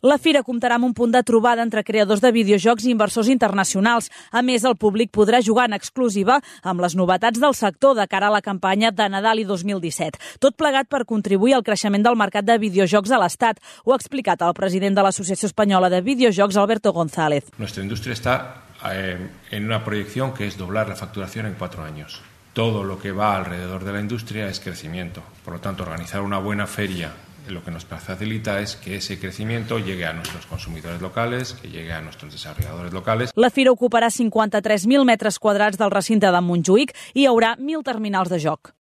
La fira comptarà amb un punt de trobada entre creadors de videojocs i inversors internacionals. A més, el públic podrà jugar en exclusiva amb les novetats del sector de cara a la campanya de Nadal i 2017. Tot plegat per contribuir al creixement del mercat de videojocs a l'Estat. Ho ha explicat el president de l'Associació Espanyola de Videojocs, Alberto González. Nuestra industria está en una proyección que es doblar la facturación en 4 años. Todo lo que va alrededor de la industria es crecimiento. Por lo tanto, organizar una buena feria lo que nos facilita es que ese crecimiento llegue a nuestros consumidores locales, que llegue a nuestros desarrolladores locales. La fira ocuparà 53.000 metres quadrats del recinte de Montjuïc i hi haurà 1.000 terminals de joc.